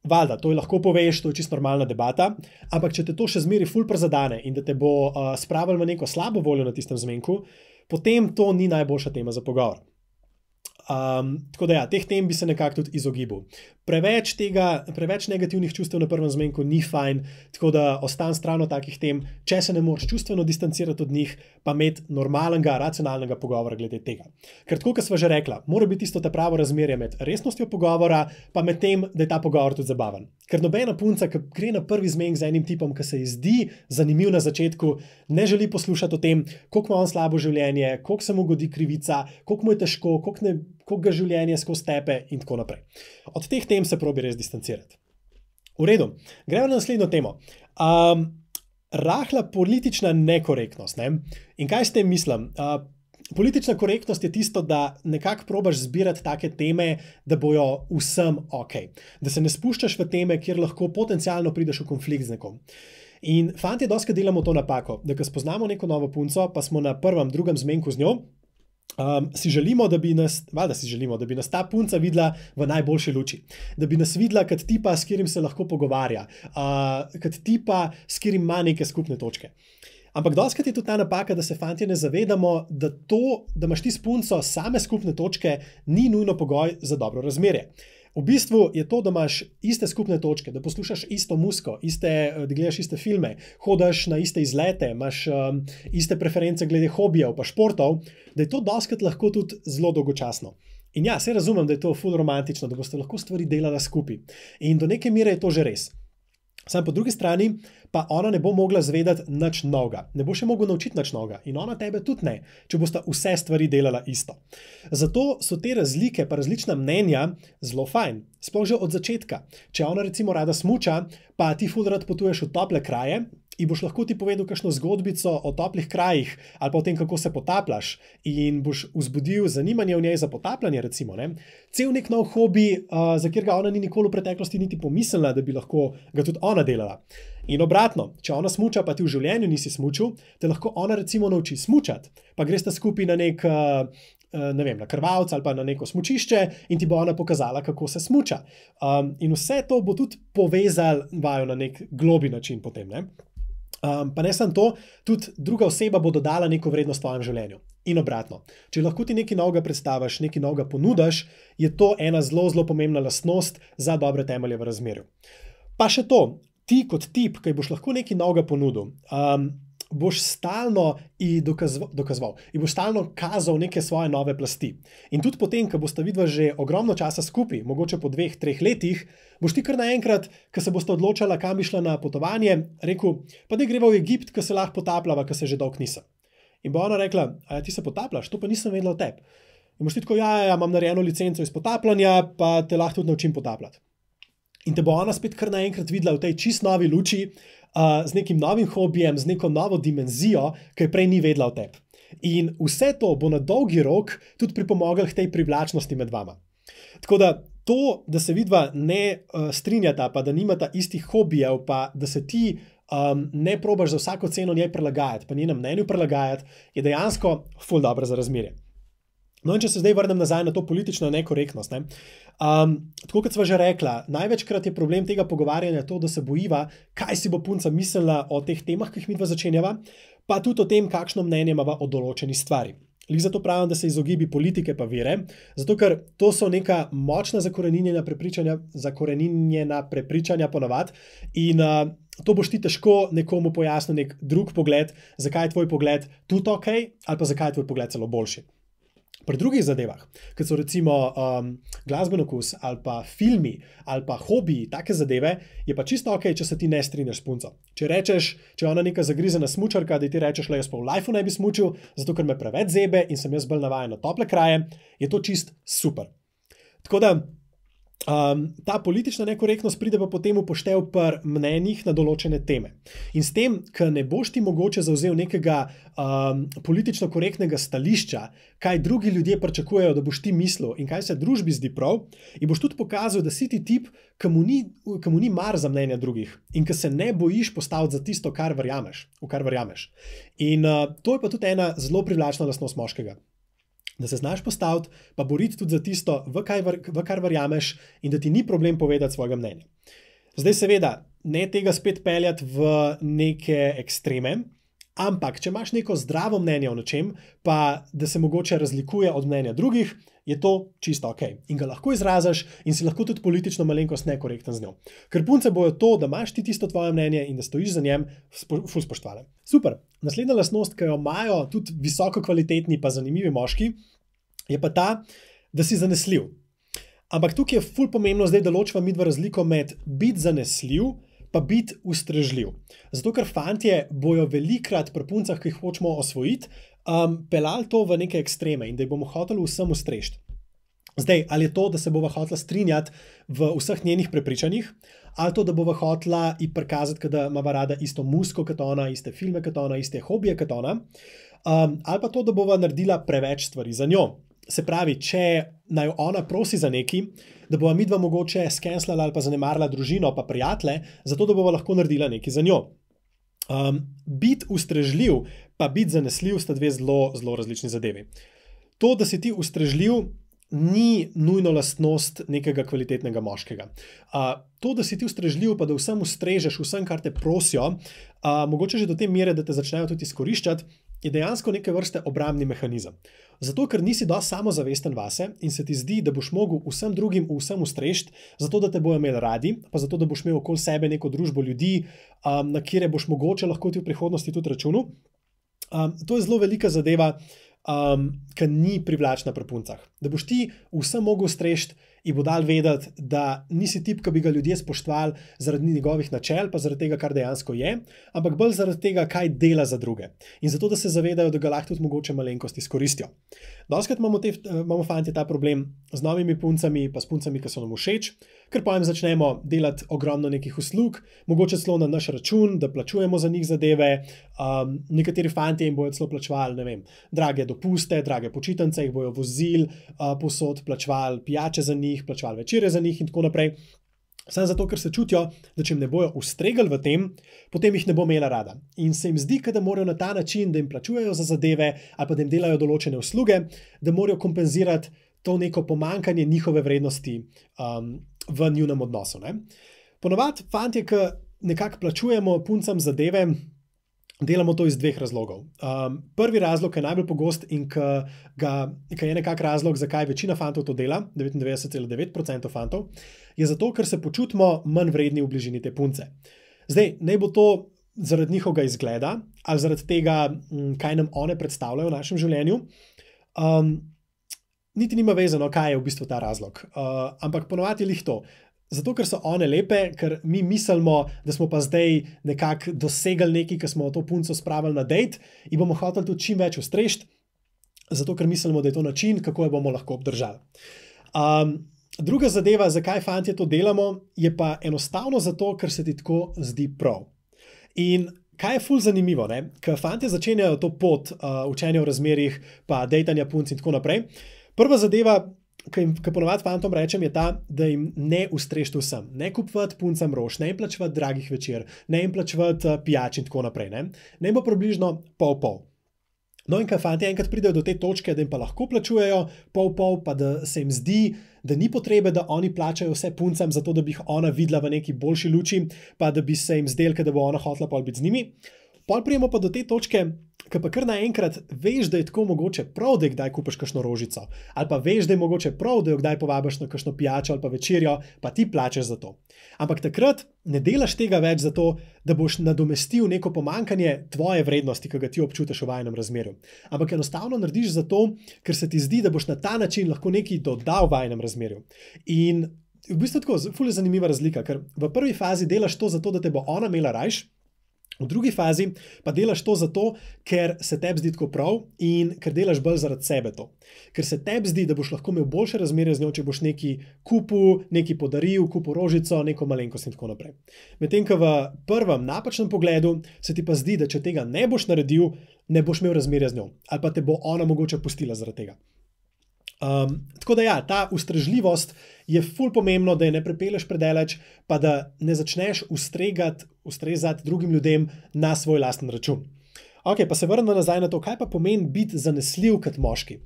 valjda, to je lahko poveš, to je čisto normalna debata, ampak če te to še zmeri ful prezadane in da te bo uh, spravil v neko slabo voljo na tistem zmenku, potem to ni najboljša tema za pogovor. Um, tako da ja, teh tem bi se nekako tudi izogibal. Preveč tega, preveč negativnih čustev na prvem zmenku ni fajn, tako da ostan stran od takih tem, če se ne moreš čustveno distancirati od njih, pa imeti normalnega, racionalnega pogovora glede tega. Ker tako, kot sva že rekla, mora biti isto ta pravo razmerje med resnostjo pogovora, pa med tem, da je ta pogovor tudi zabaven. Ker nobena punca, ki gre na prvi zmenek z enim tipom, ki se ji zdi zanimiv na začetku, ne želi poslušati o tem, koliko ima on slabo življenje, koliko se mu godi krivica, koliko mu je težko, koliko, ne, koliko ga življenje skozi tepe in tako naprej. Od teh tem se probi res distancirati. V redu, gremo na naslednjo temo. Um, rahla politična nekorektnost. Ne? In kaj s tem mislim? Uh, politična korektnost je tisto, da nekako probaš zbirati take teme, da bojo vsem ok. Da se ne spuščaš v teme, kjer lahko potencialno prideš v konflikt z nekom. In fantje doskrat delamo to napako, da ko spoznamo neko novo punco, pa smo na prvem, drugem zmenku z njo, Um, si želimo, da bi nas, valjda si želimo, da bi nas ta punca videla v najboljši luči. Da bi nas videla kot tipa, s katerim se lahko pogovarja, uh, kot tipa, s katerim ima neke skupne točke. Ampak dostikrat je tudi ta napaka, da se fantje ne zavedamo, da to, da imaš ti s punco same skupne točke, ni nujno pogoj za dobro razmerje. V bistvu je to, da imaš iste skupne točke, da poslušaš isto muziko, iste, da gledaš iste filme, hodaš na iste izlete, imaš um, iste preference glede hobijev pa športov, da je to dostikrat lahko tudi zelo dolgočasno. In ja, se razumem, da je to ful romantično, da boste lahko stvari delala skupaj. In do neke mere je to že res. Sam po drugi strani pa ona ne bo mogla zvedeti nič novega, ne bo še mogla naučiti nič novega in ona tebe tudi ne, če bosta vse stvari delala isto. Zato so te razlike pa različna mnenja zelo fajn, sploh že od začetka. Če ona recimo rada smuča, pa ti ful rad potuješ v tople kraje in boš lahko ti povedal kakšno zgodbico o toplih krajih ali pa o tem, kako se potapljaš in boš vzbudil zanimanje v njej za potapljanje recimo, ne? Cel nek nov hobi, uh, za katerega ona ni nikoli v preteklosti niti pomislila, da bi lahko ga tudi ona delala. In obratno, če ona smuča, pa ti v življenju nisi smučil, te lahko ona recimo nauči smučati, pa greste skupaj na nek, ne vem, na krvavec ali pa na neko smučišče in ti bo ona pokazala, kako se smuča. Um, in vse to bo tudi povezal vaju na nek globi način potem, ne? Um, pa ne samo to, tudi druga oseba bo dodala neko vrednost v tvojem življenju. In obratno, če lahko ti nekaj novega predstaviš, nekaj novega ponudaš, je to ena zelo, zelo pomembna lastnost za dobre temelje v razmerju. Pa še to, ti kot tip, ki boš lahko nekaj novega ponudil, um, boš stalno in dokazoval, dokazoval in boš stalno kazal neke svoje nove plasti. In tudi potem, ko bosta vidva že ogromno časa skupaj, mogoče po dveh, treh letih, boš ti kar naenkrat, ko se bosta odločala, kam bi šla na potovanje, rekel, pa da greva v Egipt, ko se lahko potapljava, ko se že dolgo nisem. In bo ona rekla, a ja, ti se potapljaš, to pa nisem vedela o tebi. In boš ti tako, ja, ja, imam narejeno licenco iz potapljanja, pa te lahko tudi naučim potapljati. In te bo ona spet kar naenkrat videla v tej čist novi luči, uh, z nekim novim hobijem, z neko novo dimenzijo, ki je prej ni vedela o tebi. In vse to bo na dolgi rok tudi pripomoglo k tej privlačnosti med vama. Tako da to, da se vidva ne uh, strinjata, pa da nimata istih hobijev, pa da se ti um, ne probaš za vsako ceno njej prilagajati, pa njenem mnenju prilagajati, je dejansko ful dobro za razmerje. No in če se zdaj vrnem nazaj na to politično nekorektnost, ne? Um, tako kot sva že rekla, največkrat je problem tega pogovarjanja to, da se bojiva, kaj si bo punca mislila o teh temah, ki jih midva začenjava, pa tudi o tem, kakšno mnenje imava o določeni stvari. Lih zato pravim, da se izogibi politike pa vere, zato ker to so neka močna zakoreninjena prepričanja, zakoreninjena prepričanja ponavad in uh, to boš ti težko nekomu pojasnil nek drug pogled, zakaj je tvoj pogled tudi ok, ali pa zakaj je tvoj pogled celo boljši. Pri drugih zadevah, kot so recimo um, glasben okus ali pa filmi ali pa hobiji, take zadeve, je pa čisto ok, če se ti ne strinjaš s punco. Če rečeš, če je ona neka zagrizena smučarka, da ti rečeš, le jaz pa v lifeu ne bi smučil, zato ker me preveč zebe in sem jaz bolj navajen na tople kraje, je to čist super. Tako da Um, ta politična nekorektnost pride pa potem upoštev pri mnenjih na določene teme. In s tem, ker ne boš ti mogoče zavzel nekega um, politično korektnega stališča, kaj drugi ljudje pričakujejo, da boš ti mislil in kaj se družbi zdi prav, in boš tudi pokazal, da si ti tip, ki mu ni, ki mu ni mar za mnenja drugih in ki se ne bojiš postaviti za tisto, kar verjameš, v kar verjameš. In uh, to je pa tudi ena zelo privlačna lastnost moškega. Da se znaš postaviti, pa boriti tudi za tisto, v, kaj, v kar verjameš in da ti ni problem povedati svojega mnenja. Zdaj seveda, ne tega spet peljati v neke ekstreme, ampak če imaš neko zdravo mnenje o nečem, pa da se mogoče razlikuje od mnenja drugih, je to čisto ok. In ga lahko izraziš in si lahko tudi politično malenkost nekorekten z njo. Ker punce bojo to, da imaš ti tisto tvoje mnenje in da stojiš za njem, ful spoštovale. Super. Naslednja lastnost, ki jo imajo tudi visoko kvalitetni pa zanimivi moški, je pa ta, da si zanesljiv. Ampak tukaj je ful pomembno zdaj, da ločva midva razliko med biti zanesljiv pa biti ustrežljiv. Zato, ker fantje bojo velikrat pri puncah, ki jih hočemo osvojiti, um, pelali to v neke ekstreme in da jih bomo hoteli vsem ustrežiti. Zdaj, ali je to, da se bova hotela strinjati v vseh njenih prepričanjih, ali to, da bova hotela ji prikazati, da imava rada isto muziko kot ona, iste filme kot ona, iste hobije kot ona, um, ali pa to, da bova naredila preveč stvari za njo. Se pravi, če naj ona prosi za neki, da bova midva mogoče skenslala ali pa zanemarila družino pa prijatelje, zato da bova lahko naredila nekaj za njo. Um, biti ustrežljiv, pa biti zanesljiv, sta dve zelo, zelo različni zadevi. To, da si ti ustrežljiv, ni nujno lastnost nekega kvalitetnega moškega. Uh, to, da si ti ustrežljiv, pa da vsem ustrežeš, vsem, kar te prosijo, uh, mogoče že do te mere, da te začnejo tudi izkoriščati, je dejansko neke vrste obrambni mehanizem. Zato, ker nisi dosti samozavesten vase in se ti zdi, da boš mogel vsem drugim vsem ustrežiti, zato da te bojo imeli radi, pa zato, da boš imel okoli sebe neko družbo ljudi, um, na kire boš mogoče lahko ti v prihodnosti tudi računal. Um, to je zelo velika zadeva, um, ki ni privlačna pri puncah. Da boš ti vsem mogel ustrežiti in bo dal vedeti, da nisi tip, ki bi ga ljudje spoštovali zaradi njegovih načel, pa zaradi tega, kar dejansko je, ampak bolj zaradi tega, kaj dela za druge. In zato, da se zavedajo, da ga lahko tudi mogoče malenkost izkoristijo. Doskrat imamo, te, imamo fanti ta problem z novimi puncami, pa s puncami, ki so nam všeč, ker potem začnemo delati ogromno nekih uslug, mogoče celo na naš račun, da plačujemo za njih zadeve. Um, nekateri fanti jim bojo celo plačevali, ne vem, drage dopuste, drage počitnice, jih bojo vozili uh, posod, plačevali pijače za njih, plačevali večere za njih in tako naprej. Samo zato, ker se čutijo, da če jim ne bojo ustregali v tem, potem jih ne bo imela rada. In se jim zdi, da morajo na ta način, da jim plačujejo za zadeve ali pa da jim delajo določene usluge, da morajo kompenzirati to neko pomankanje njihove vrednosti um, v njunem odnosu. Ne? Ponovadi fantje, ki nekako plačujemo puncam zadeve, delamo to iz dveh razlogov. Um, prvi razlog je najbolj pogost in ki je nekak razlog, zakaj večina fantov to dela, devetindevetdeset celih devet procenta fantov, je zato, ker se počutimo manj vredni v bližini te punce. Zdaj, naj bo to zaradi njihovega izgleda ali zaradi tega, kaj nam one predstavljajo v našem življenju. Um, niti nima vezano, kaj je v bistvu ta razlog. Uh, ampak ponovadi je lih to. Zato, ker so one lepe, ker mi mislimo, da smo pa zdaj nekako dosegli nekaj, ki smo to punco spravili na dejt in bomo hoteli tudi čim več ustrežiti, zato, ker mislimo, da je to način, kako jo bomo lahko obdržali. Um, druga zadeva, zakaj fantje to delamo, je pa enostavno zato, ker se ti tako zdi prav. In kaj je ful zanimivo, ne? Ker fantje začenjajo to pot uh, učenja v razmerjih, pa dejtanja punc in tako naprej. Prva zadeva, ki ponovadi fantom rečem, je ta, da jim ne ustrežite vsem. Ne kupovati puncam rož, ne jim plačevati dragih večer, ne jim plačevati pijač in tako naprej. Ne, ne bo približno pol-pol. No in kaj fanti enkrat pridejo do te točke, da jim pa lahko plačujejo pol-pol, pa da se jim zdi, da ni potrebe, da oni plačajo vse puncam, zato da bi jih ona videla v neki boljši luči, pa da bi se jim zdelo, da bo ona hotela pol biti z njimi. Pol prijemo pa do te točke, ki pa kar naenkrat veš, da je tako mogoče prav, da je kdaj kupiš kakšno rožico, ali pa veš, da je mogoče prav, da jo kdaj povabiš na kakšno pijačo ali pa večerjo, pa ti plačaš za to. Ampak takrat ne delaš tega več zato, da boš nadomestil neko pomankanje tvoje vrednosti, ki ga ti občutiš v vajinem razmerju. Ampak enostavno narediš zato, ker se ti zdi, da boš na ta način lahko nekaj dodal v vajinem razmerju. In v bistvu tako, ful je zanimiva razlika, ker v prvi fazi delaš to zato, da te bo ona imela rajš, v drugi fazi pa delaš to zato, ker se tebi zdi tako prav in ker delaš bolj zaradi sebe to. Ker se tebi zdi, da boš lahko imel boljše razmerje z njo, če boš nekaj kupil, nekaj podaril, kupil rožico, neko malenkost in tako naprej. Medtem, ko v prvem napačnem pogledu se ti pa zdi, da če tega ne boš naredil, ne boš imel razmerja z njo. Ali pa te bo ona mogoče pustila zaradi tega. Um, tako da ja, ta ustrežljivost je ful pomembno, da je ne prepeleš predaleč, pa da ne začneš ustregati, ustrezati drugim ljudem na svoj lasten račun. Ok, pa se vrnemo nazaj na to, kaj pa pomeni biti zanesljiv kot moški.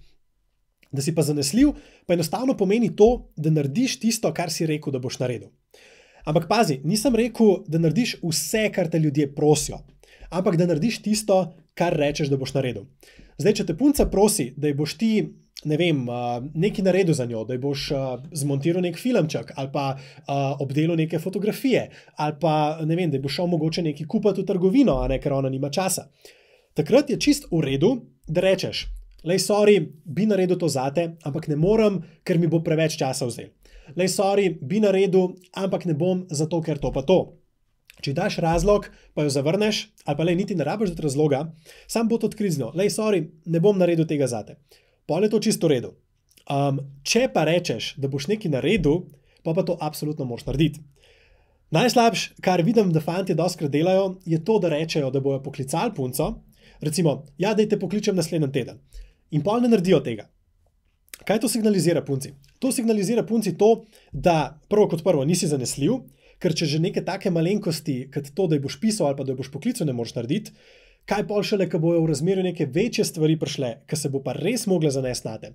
Da si pa zanesljiv, pa enostavno pomeni to, da narediš tisto, kar si rekel, da boš naredil. Ampak pazi, nisem rekel, da narediš vse, kar te ljudje prosijo, ampak da narediš tisto, kar rečeš, da boš naredil. Zdaj, če te punca prosi, da ji boš ti ne vem, nekaj naredil za njo, da ji boš zmontiral nek filmček ali pa obdelal neke fotografije ali pa ne vem, da ji boš šel mogoče nekaj kupiti v trgovino, a ne, ker ona nima časa. Takrat je čist v redu, da rečeš, lej, sorry, bi naredil to zate, ampak ne morem, ker mi bo preveč časa vzel. Lej, sorry, bi naredil, ampak ne bom zato, ker to pa to. Če daš razlog, pa jo zavrneš, ali pa lej, niti ne rabiš dati razloga, sam bo to odkrizno. Lej, sorry, ne bom naredil tega zate. Pol je to čisto v redu. Um, če pa rečeš, da boš nekaj naredil, pa pa to absolutno moraš narediti. Najslabš, kar vidim, da fantje dostikrat delajo, je to, da rečejo, da bojo poklicali punco, recimo, ja, daj te pokličem naslednji teden. In pol ne naredijo tega. Kaj to signalizira punci? To signalizira punci to, da prvo kot prvo nisi zanesljiv, ker če že neke take malenkosti, kot to, da jih boš pisal ali pa da jih boš poklical, ne moreš narediti, kaj pol šele, ko bojo v razmerju neke večje stvari prišle, ki se bo pa res mogla zanesti nate.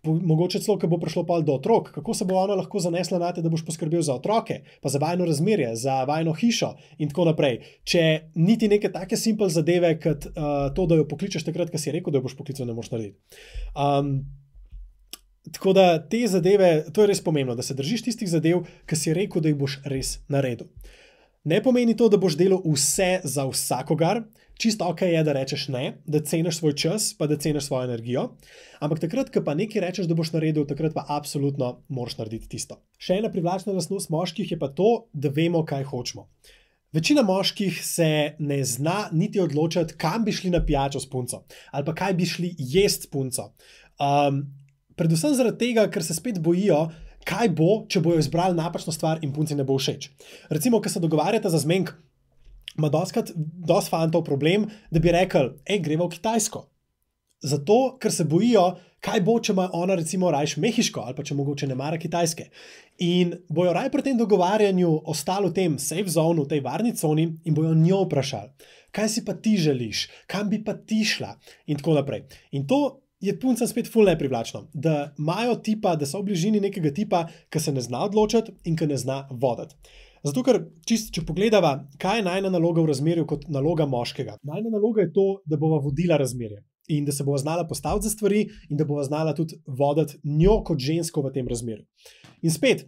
Mogoče celo, ko bo prišlo pol do otrok, kako se bo ona lahko zanesla nate, da boš poskrbel za otroke, pa za vajno razmerje, za vajno hišo in tako naprej. Če niti neke take simple zadeve, kot uh, to, da jo pokličeš takrat, ko si rekel, da jo boš poklical, ne moreš narediti. Um, tako da te zadeve, to je res pomembno, da se držiš tistih zadev, ki si rekel, da jih boš res naredil. Ne pomeni to, da boš delal vse za vsakogar, čisto ok je, da rečeš ne, da ceniš svoj čas, pa da ceniš svojo energijo, ampak takrat, ko pa nekaj rečeš, da boš naredil, takrat pa absolutno moraš narediti tisto. Še ena privlačna lastnost moških je pa to, da vemo, kaj hočemo. Večina moških se ne zna niti odločiti, kam bi šli na pijačo s punco, ali pa kaj bi šli jest s punco. Um, predvsem zaradi tega, ker se spet bojijo, kaj bo, če bojo izbrali napačno stvar in punci ne bo všeč. Recimo, ko se dogovarjate za zmenk, ima doskrat dosti fantov problem, da bi rekel, ej, greva v Kitajsko. Zato, ker se bojijo, kaj bo, če ima ona recimo rajš mehiško, ali pa če mogoče ne mara Kitajske. In bojo raj pri tem dogovarjanju ostali v tem safe zone, v tej varni coni in bojo njo vprašali, kaj si pa ti želiš, kam bi pa ti šla in tako naprej. In to je puncem spet ful neprivlačno, da imajo tipa, da so v bližini nekega tipa, ki se ne zna odločiti in ki ne zna voditi. Zato, ker čist, če pogledava, kaj je najna naloga v razmerju kot naloga moškega. Najna naloga je to, da bova vodila razmerje in da se bova znala postaviti za stvari in da bova znala tudi voditi njo kot žensko v tem razmerju. In spet,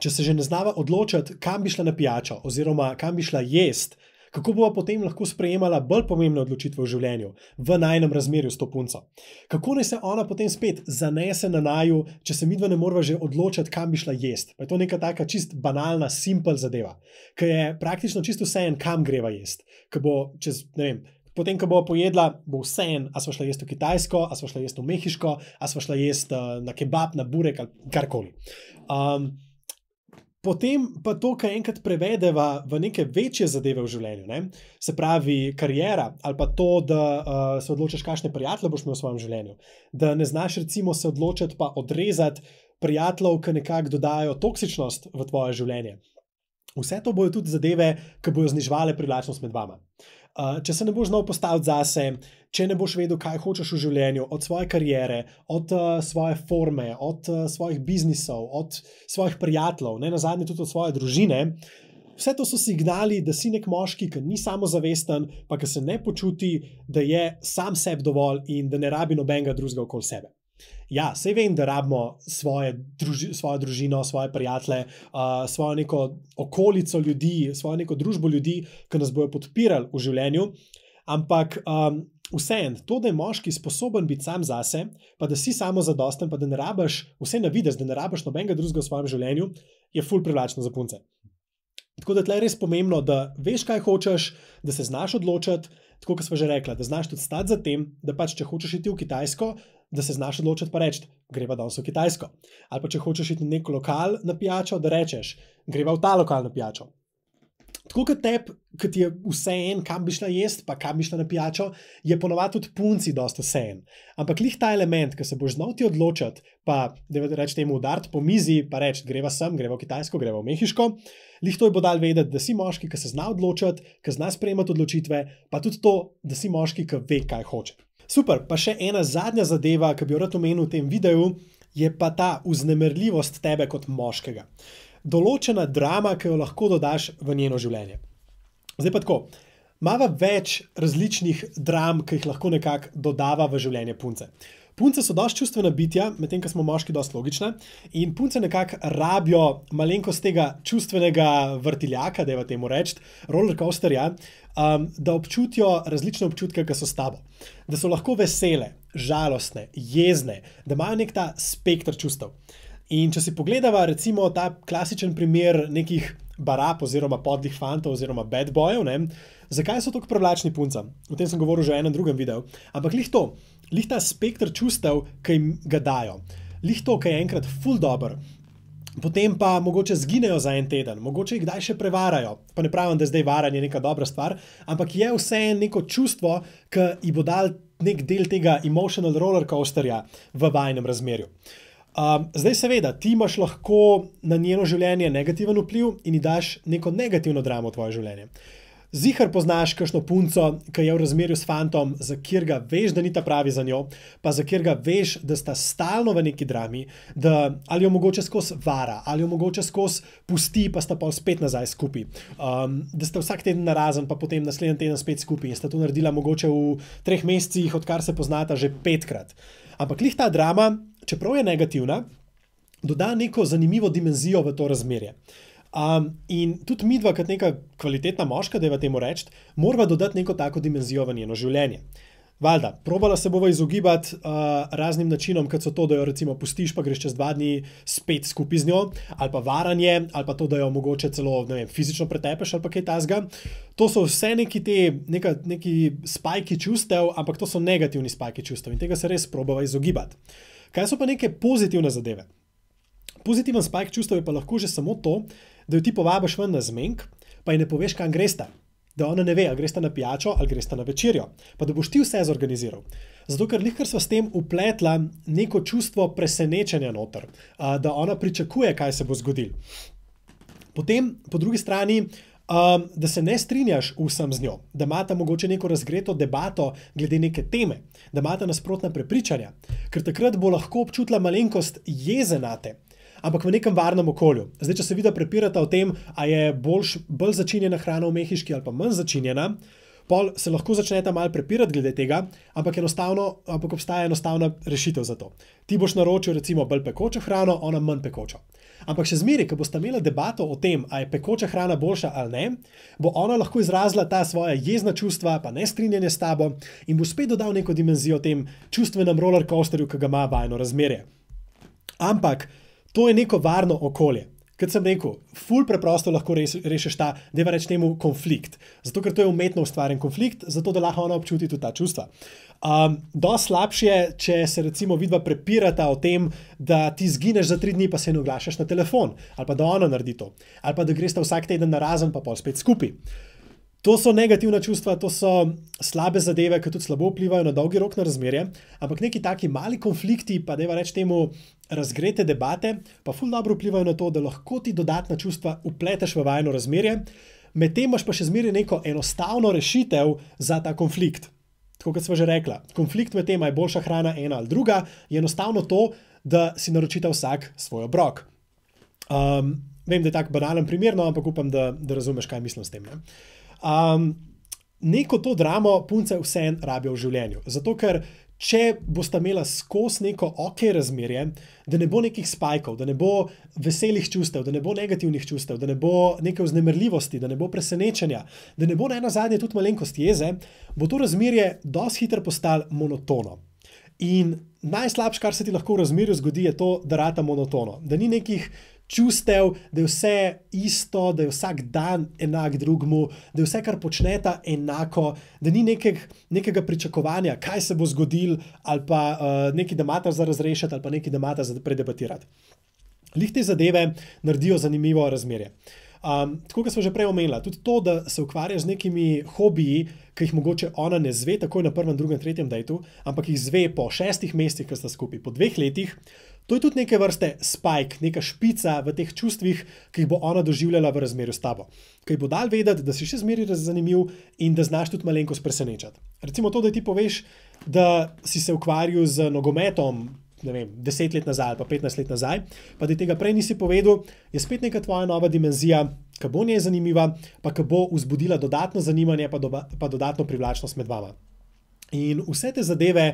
če se že ne znava odločiti, kam bi šla na pijačo oziroma kam bi šla jest, kako bova potem lahko sprejemala bolj pomembne odločitve v življenju, v najnem razmerju s to punco. Kako naj se ona potem spet zanese na naju, če se midva ne morava že odločiti, kam bi šla jest. Pa je to neka taka čist banalna, simple zadeva, ki je praktično čisto vseeno, kam greva jest. Ki bo čez, ne vem, potem, ko bova pojedla, bo vseeno, a sva šla jest v Kitajsko, a sva šla jest v Mehiško, a sva šla jest na kebab, na burek ali karkoli. Um, Potem pa to, kar enkrat prevedeva v neke večje zadeve v življenju, ne? Se pravi karijera ali pa to, da uh, se odločiš, kakšne prijatelje boš imel v svojem življenju, da ne znaš recimo se odločiti pa odrezati prijateljev, ki nekako dodajo toksičnost v tvoje življenje. Vse to bojo tudi zadeve, ki bojo zniževale privlačnost med vama. Uh, če se ne boš znal postaviti zase, če ne boš vedel, kaj hočeš v življenju, od svoje kariere, od uh, svoje forme, od uh, svojih biznisov, od svojih prijateljev, ne nazadnje tudi od svoje družine, vse to so signali, da si nek moški, ki ni samozavesten, pa ki se ne počuti, da je sam sebi dovolj in da ne rabi nobenega drugega okoli sebe. Ja, sej vem, da rabimo svoje druži, svojo družino, svoje prijatelje, uh, svojo neko okolico ljudi, svojo neko družbo ljudi, ki nas bojo podpirali v življenju, ampak um, vseeno, to, da je moški sposoben biti sam zase, pa da si samozadosten, pa da ne rabiš vse na videz, da ne rabiš nobenega drugega v svojem življenju, je ful privlačno za punce. Tako da tle je res pomembno, da veš, kaj hočeš, da se znaš odločiti, tako kot sva že rekla, da znaš tudi stati za tem, da pač, če hočeš iti v Kitajsko, da se znaš odločiti pa reči, greva danes v Kitajsko. Ali pa če hočeš iti na nek lokal na pijačo, da rečeš, greva v ta lokal na pijačo. Tako kot tebi, ki ti je vseeno, kam bi šla jest, pa kam bi šla na pijačo, je ponovadi tudi punci dosti vseeno. Ampak lih ta element, ki se boš znal ti odločiti, pa da reč temu udariti po mizi, pa reči, greva sem, greva v Kitajsko, greva v Mehiško, lih to je bo dal vedeti, da si moški, ki se zna odločiti, ki zna sprejemati odločitve, pa tudi to, da si moški, ki ve, kaj hoče. Super, pa še ena zadnja zadeva, ki bi jo rad omenil v tem videu, je pa ta vznemirljivost tebe kot moškega. Določena drama, ki jo lahko dodaš v njeno življenje. Zdaj pa tako, imava več različnih dram, ki jih lahko nekako dodava v življenje punce. Punce so dosti čustvena bitja, medtem ko smo moški dosti logične, in punce nekako rabijo malenkost tega čustvenega vrtiljaka, da je v temu reči, rollercoasterja, um, da občutijo različne občutke, ki so s tabo. Da so lahko vesele, žalostne, jezne, da imajo nek ta spekter čustev. In če si pogledava recimo ta klasičen primer nekih barab oziroma podlih fantov oziroma bad bojev, ne, zakaj so tako privlačni puncam? O tem sem govoril že v enem drugem videu. Ampak lih to, lih ta spekter čustev, ki jim ga dajo. Lih to, ki je enkrat ful dober, potem pa mogoče zginejo za en teden, mogoče jih kdaj še prevarajo. Pa ne pravim, da je zdaj varanje neka dobra stvar, ampak je vseeno neko čustvo, ki ji bo dal nek del tega emotional rollercoasterja v vajnem razmerju. Um, zdaj, seveda, ti imaš lahko na njeno življenje negativen vpliv in ji daš neko negativno dramo v tvoje življenje. Zihar poznaš kakšno punco, ki je v razmerju s fantom, za katerega veš, da ni ta pravi za njo, pa za katerega veš, da sta stalno v neki drami, da ali jo mogoče skozi vara, ali jo mogoče skozi pusti, pa sta pa spet nazaj skupaj. Um, da sta vsak teden narazen, pa potem naslednji teden spet skupaj in sta to naredila mogoče v treh mesecih, odkar se poznata že petkrat. Ampak lih ta drama, čeprav je negativna, doda neko zanimivo dimenzijo v to razmerje. Um, in tudi midva, kot neka kvalitetna moška, da je v temu reči, morava dodati neko tako dimenzijo v njeno življenje. Valjda, probala se bova izogibati uh, raznim načinom, kot so to, da jo recimo pustiš, pa greš čez dva dni spet skupaj z njo, ali pa varanje, ali pa to, da jo mogoče celo, ne vem, fizično pretepeš ali pa kaj tasga. To so vse neki te, neka, neki spajki čustev, ampak to so negativni spajki čustev in tega se res probava izogibati. Kaj so pa neke pozitivne zadeve? Pozitiven spajk čustev je pa lahko že samo to, da jo ti povabiš ven na zmenk, pa ji ne poveš, kam gresta. Da ona ne ve, ali gresta na pijačo ali gresta na večerjo. Pa da boš ti vse zorganiziral. Zato, ker lihkar sva s tem upletla neko čustvo presenečenja noter, da ona pričakuje, kaj se bo zgodilo. Potem, po drugi strani, um, da se ne strinjaš vsem z njo, da imata mogoče neko razgreto debato glede neke teme, da imata nasprotna prepričanja, ker takrat bo lahko občutila malenkost jeze nate, ampak v nekem varnem okolju. Zdaj, če se vida prepirata o tem, a je boljš, bolj začinjena hrana v mehiški ali pa manj začinjena, pol se lahko začneta malo prepirati glede tega, ampak, enostavno, ampak obstaja enostavna rešitev za to. Ti boš naročil recimo bolj pekočo hrano, ona manj pekočo. Ampak še zmeraj, ko bosta imela debato o tem, a je pekoča hrana boljša ali ne, bo ona lahko izrazila ta svoja jezna čustva, pa nestrinjanje s tabo in bo spet dodal neko dimenzijo tem čustvenem rollercoasterju, ki ga ima vajno razmerje. Ampak to je neko varno okolje. Kot sem rekel, ful preprosto lahko rešiš ta, deva reči temu, konflikt. Zato, ker to je umetno ustvarjen konflikt, zato da lahko ona občuti tudi ta čustva. Um, dosti slabše je, če se recimo vidva prepirata o tem, da ti zgineš za tri dni, pa se ne oglašaš na telefon, ali pa da ona naredi to, ali pa da gresta vsak teden narazen, pa pol spet skupaj. To so negativna čustva, to so slabe zadeve, ki tudi slabo vplivajo na dolgi rok na razmerje, ampak neki taki mali konflikti, pa deva reči temu razgrete debate, pa ful dobro vplivajo na to, da lahko ti dodatna čustva upleteš v vajno razmerje, medtem imaš pa še zmeraj neko enostavno rešitev za ta konflikt. Tako kot sva že rekla, konflikt med tem, a je boljša hrana ena ali druga, je enostavno to, da si naročita vsak svoj obrok. Um, vem, da je tak banalen primer, no, ampak upam, da, da razumeš, kaj mislim s tem, ne? Um, neko to dramo punce vseeno rabijo v življenju. Zato, ker če bosta imela skozi neko ok razmerje, da ne bo nekih spajkov, da ne bo veselih čustev, da ne bo negativnih čustev, da ne bo neke vznemirljivosti, da ne bo presenečenja, da ne bo na ena zadnje tudi malenkost jeze, bo to razmerje dosti hitro postalo monotono. In najslabše, kar se ti lahko v razmerju zgodi, je to, da rata monotono. Da ni nekih čustev, da je vse isto, da je vsak dan enak drugmu, da je vse, kar počneta, enako, da ni nekeg, nekega pričakovanja, kaj se bo zgodilo, ali pa uh, nekaj, da imata za razrešiti, ali pa nekaj, da imata za predebatirati. Lih te zadeve naredijo zanimivo razmerje. Um, tako, kot smo že prej omenila, tudi to, da se ukvarjaš z nekimi hobiji, ki jih mogoče ona ne zve takoj na prvem, drugem, tretjem dejtu, ampak jih zve po šestih mesecih, ko sta skupaj, po dveh letih, to je tudi neke vrste spike, neka špica v teh čustvih, ki jih bo ona doživljala v razmerju s tabo. Ki ji bo dal vedeti, da si še zmeraj zanimiv in da znaš tudi malenkost presenečati. Recimo to, da ti poveš, da si se ukvarjal z nogometom, ne vem, deset let nazaj ali pa petnajst let nazaj, pa da tega prej nisi povedal, je spet neka tvoja nova dimenzija, ki bo njej zanimiva, pa ki bo vzbudila dodatno zanimanje, pa, do, pa dodatno privlačnost med vama. In vse te zadeve,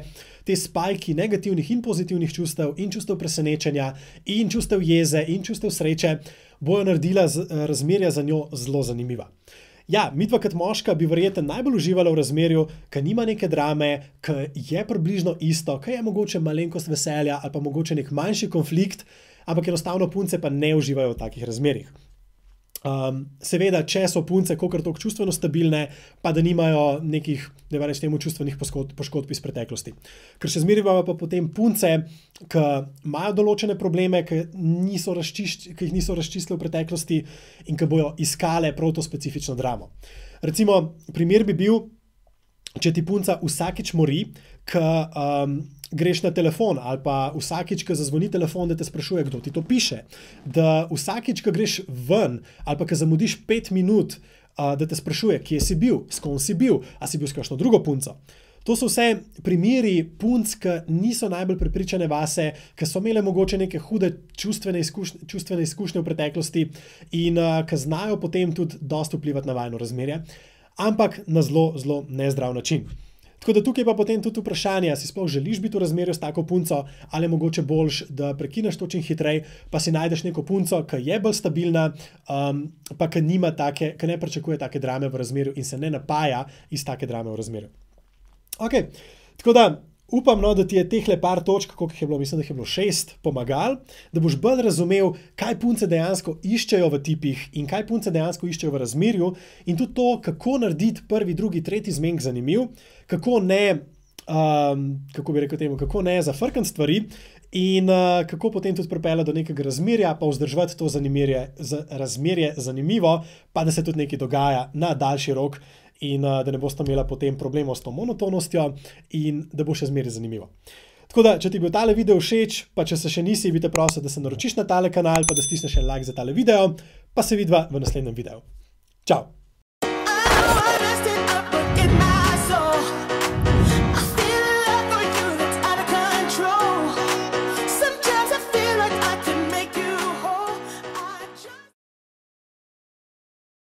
te spajki negativnih in pozitivnih čustev in čustev presenečenja in čustev jeze in čustev sreče bojo naredila z, razmerja za njo zelo zanimiva. Ja, midva kot moška bi verjetno najbolj uživala v razmerju, ki nima neke drame, ki je približno isto, ki je mogoče malenkost veselja ali pa mogoče nek manjši konflikt, ampak enostavno punce pa ne uživajo v takih razmerjih. Um, seveda, če so punce kolikor toliko čustveno stabilne, pa da nimajo nekih, da reč temu, čustvenih poškodb iz preteklosti. Ker še zmeraj imamo pa potem punce, ki imajo določene probleme, ki, niso razčišč, ki jih niso razčistili v preteklosti in ki bojo iskale prav to specifično dramo. Recimo, primer bi bil, če ti punca vsakič mori, ki um, greš na telefon ali pa vsakič, ko zazvoni telefon, da te sprašuje, kdo ti to piše, da vsakič, ko greš ven ali pa ko zamudiš pet minut, uh, da te sprašuje, kje si bil, s kom si bil, a si bil s kakšno drugo punco. To so vse primeri punc, ki niso najbolj prepričane vase, ki so imele mogoče neke hude čustvene izkušnje, čustvene izkušnje v preteklosti in uh, ki znajo potem tudi dosti vplivati na vajno razmerje, ampak na zelo, zelo nezdrav način. Tako da tukaj pa potem tudi vprašanje, si sploh želiš biti v razmerju s tako punco, ali je mogoče boljš, da prekineš to čim hitreje, pa si najdeš neko punco, ki je bolj stabilna, um, pa ki nima take, ki ne pričakuje take drame v razmerju in se ne napaja iz take drame v razmerju. Ok, tako da upam, no, da ti je tehle par točk, koliko jih je bilo, mislim, da jih je bilo šest, pomagal, da boš bolj razumel, kaj punce dejansko iščejo v tipih in kaj punce dejansko iščejo v razmerju in tudi to, kako narediti prvi, drugi, tretji zmenek zanimiv, kako ne, um, kako bi rekel temu, kako ne zafrkant stvari in uh, kako potem tudi pripelje do nekega razmerja, pa vzdrževati to zanimirje, z, razmerje zanimivo, pa da se tudi nekaj dogaja na daljši rok in uh, da ne boste imela potem problemov s to monotonostjo in da bo še zmeraj zanimivo. Tako da, če ti je bil tale video všeč, pa če se še nisi, bi te prosil, da se naročiš na tale kanal, pa da stisneš en like za tale video, pa se vidva v naslednjem videu. Čau!